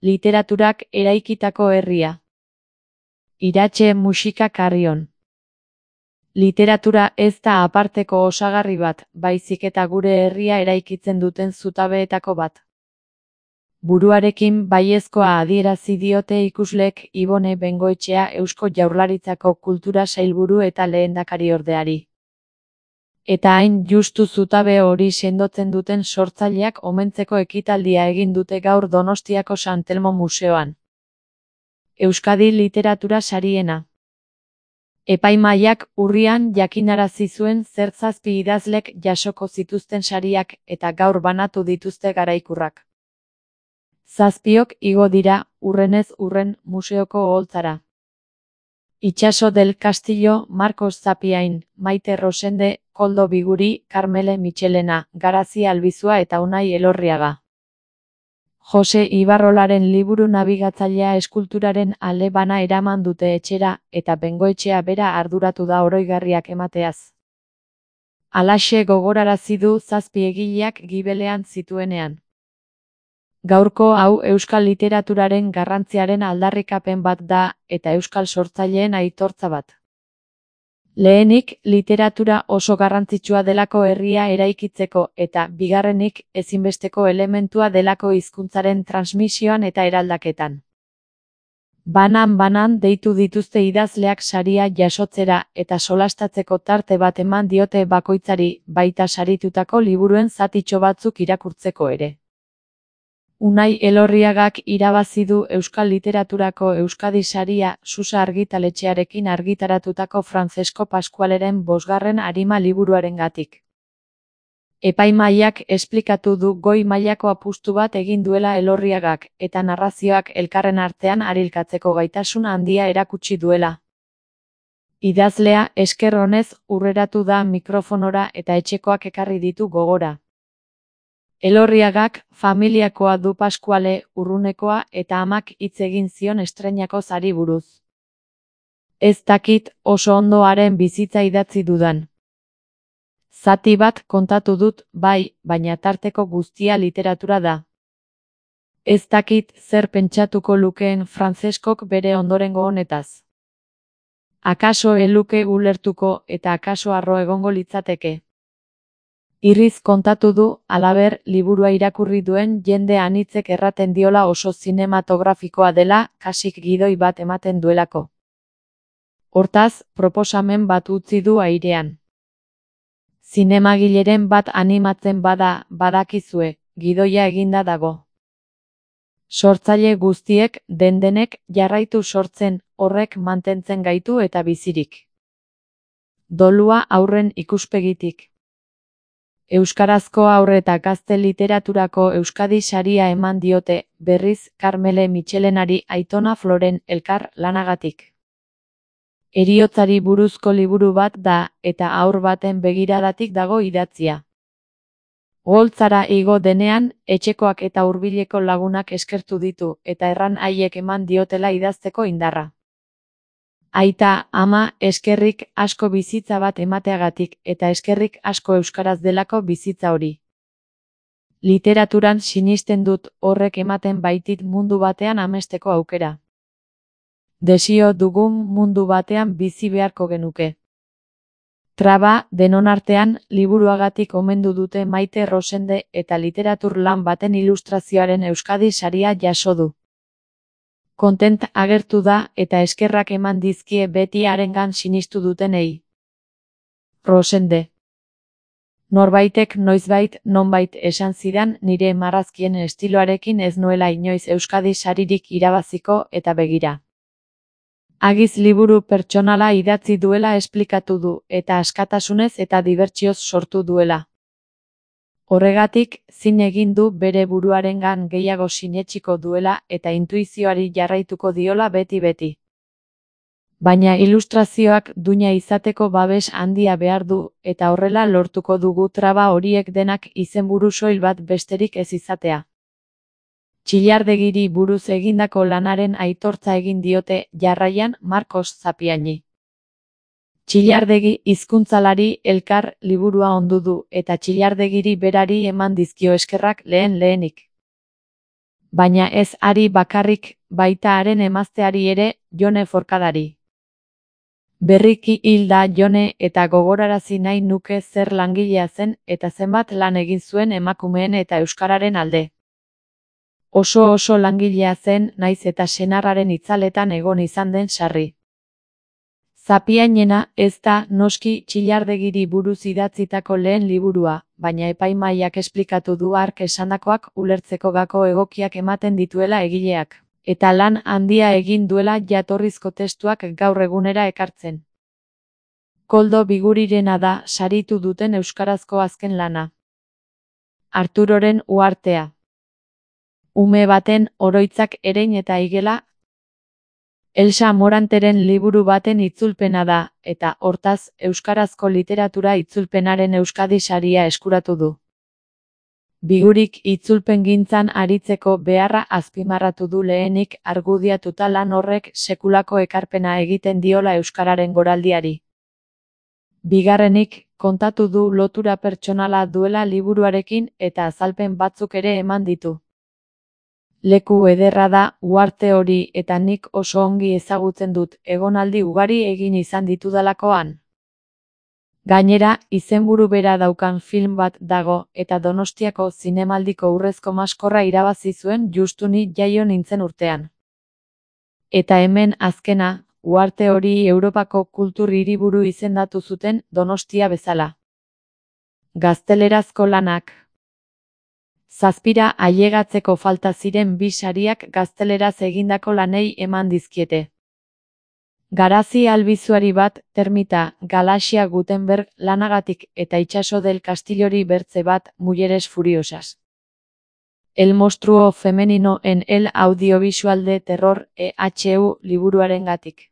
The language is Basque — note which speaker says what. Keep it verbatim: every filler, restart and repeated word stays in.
Speaker 1: Literaturak eraikitako herria. Iratxe Muxika Carrion. Literatura ez da aparteko osagarri bat, baizik eta gure herria eraikitzen duten zutabeetako bat. Buruarekin baiezkoa adierazi diote ikusleek Ibone Bengoetxea Eusko Jaurlaritzako Kultura Sailburu eta lehendakariordeari. Eta hain justu zutabe hori sendotzen duten sortzaileak omentzeko ekitaldia egin dute gaur Donostiako San Telmo Museoan. Euskadi Literatura Sariena. Epaimahaiak urrian jakinarazi zuen zer zazpi idazlek jasoko zituzten sariak eta gaur banatu dituzte garaikurrak. Zazpiok igo dira, urrenez urren, museoko oholtzara. Itxaso del Castillo, Marcos Zapiain, Maite Rosende, Koldo Biguri, Karmele Michelena, Garazi Albizua eta Unai Elorriaga. Jose Ibarrolaren liburu nabigatzailea eskulturaren ale bana eraman dute etxera, eta Bengoetxea bera arduratu da oroigarriak emateaz. Halaxe gogorarazi du zazpi egileak gibelean zituenean. Gaurko hau euskal literaturaren garrantziaren aldarrikapen bat da, eta euskal sortzaileen aitortza bat. Lehenik, literatura oso garrantzitsua delako herria eraikitzeko eta, bigarrenik, ezinbesteko elementua delako hizkuntzaren transmisioan eta eraldaketan. Banan-banan deitu dituzte idazleak saria jasotzera eta solastatzeko tarte bat eman diote bakoitzari, baita saritutako liburuen zatitxo batzuk irakurtzeko ere. Unai Elorriagak irabazi du euskal literaturako Euskadi saria Susa argitaletxearekin argitaratutako Francesco Pascualeren bosgarren arima liburuarengatik. Epaimahaiak esplikatu du goi mailako apustu bat egin duela Elorriagak, eta narrazioak elkarren artean arilkatzeko gaitasun handia erakutsi duela. Idazlea esker onez urreratu da mikrofonora eta etxekoak ekarri ditu gogora. Elorriagak familiakoa du Pascuale, urrunekoa eta amak hitz egin zion estreinako zari buruz. Ez dakit oso ondo haren bizitza idatzi dudan. Zati bat kontatu dut, bai, baina tarteko guztia literatura da. Ez dakit zer pentsatuko lukeen Franceskok bere ondorengo honetaz. Akaso eluke ulertuko eta akaso harro egongo litzateke. Irriz kontatu du, halaber, liburua irakurri duen jende anitzek erraten diola oso zinematografikoa dela, kasik gidoi bat ematen duelako. Hortaz, proposamen bat utzi du airean. Zinemagileren bat animatzen bada, badakizue, gidoia eginda dago. Sortzaile guztiek, den-denek, jarraitu sortzen, horrek mantentzen gaitu eta bizirik. Dolua haurren ikuspegitik. Euskarazko haur eta gazte literaturako Euskadi saria eman diote, berriz, Karmele Michelenari Aitona Floren elkar lanagatik. Heriotzari buruzko liburu bat da, eta haur baten begiradatik dago idatzia. Oholtzara igo denean, etxekoak eta hurbileko lagunak eskertu ditu, eta erran haiek eman diotela idazteko indarra. Aita, ama, eskerrik asko bizitza bat emateagatik, eta eskerrik asko euskaraz delako bizitza hori. Literaturan sinisten dut, horrek ematen baitit mundu batean amesteko aukera. Desio dugun mundu batean bizi beharko genuke. Traba, denon artean, liburuagatik omendu dute Maite Rosende eta literatur lan baten ilustrazioaren Euskadi saria jaso du. Kontent agertu da eta eskerrak eman dizkie beti harengan sinistu dutenei. Rosende. Norbaitek noizbait nonbait esan zidan nire marrazkien estiloarekin ez nuela inoiz Euskadi saririk irabaziko eta begira. Agiz liburu pertsonala idatzi duela esplikatu du eta askatasunez eta dibertsioz sortu duela. Horregatik, zin egin du bere buruarengan gehiago sinetsiko duela eta intuizioari jarraituko diola beti-beti. Baina ilustrazioak duina izateko babes handia behar du, eta horrela lortuko dugu traba horiek denak izenburu soil bat besterik ez izatea. Txillardegiri buruz egindako lanaren aitortza egin diote jarraian Marcos Zapiaini. Txillardegi hizkuntzalari elkar liburua ondu du eta Txillardegiri berari eman dizkio eskerrak lehen lehenik. Baina ez hari bakarrik, baita haren emazteari ere, Jone Forkadari. Berriki hil da Jone eta gogorarazi nahi nuke zer langilea zen eta zenbat lan egin zuen emakumeen eta euskararen alde. Oso oso langilea zen naiz eta senarraren itzaletan egon izan den sarri. Zapiainena ez da noski Txillardegiri buruz idatzitako lehen liburua, baina epaimahaiak esplikatu du hark esandakoak ulertzeko gako egokiak ematen dituela egileak, eta lan handia egin duela jatorrizko testuak gaur egunera ekartzen. Koldo Bigurirena da saritu duten euskarazko azken lana. Arturoren uhartea. Ume baten oroitzak erein eta igela. Elsa Moranteren liburu baten itzulpena da, eta hortaz euskarazko literatura itzulpenaren Euskadi saria eskuratu du. Bigurik itzulpengintzan aritzeko beharra azpimarratu du lehenik argudiatuta lan horrek sekulako ekarpena egiten diola euskararen goraldiari. Bigarrenik, kontatu du lotura pertsonala duela liburuarekin eta azalpen batzuk ere eman ditu. Leku ederra da uharte hori eta nik oso ongi ezagutzen dut egonaldi ugari egin izan ditudalakoan. Gainera, izenburu bera daukan film bat dago eta Donostiako zinemaldiko urrezko maskorra irabazi zuen justu ni jaio nintzen urtean. Eta hemen azkena, uharte hori Europako kultur hiriburu izendatu zuten Donostia bezala. Gaztelerazko lanak. Zazpira ailegatzeko falta ziren bi sariak gazteleraz egindako lanei eman dizkiete. Garazi albizuari bat, Termita, Galaxia Gutenberg lanagatik eta Itxaso del Castillori bertze bat, Mujeres furiosas. El monstruo femenino en el audiovisual de terror E H U liburuarengatik.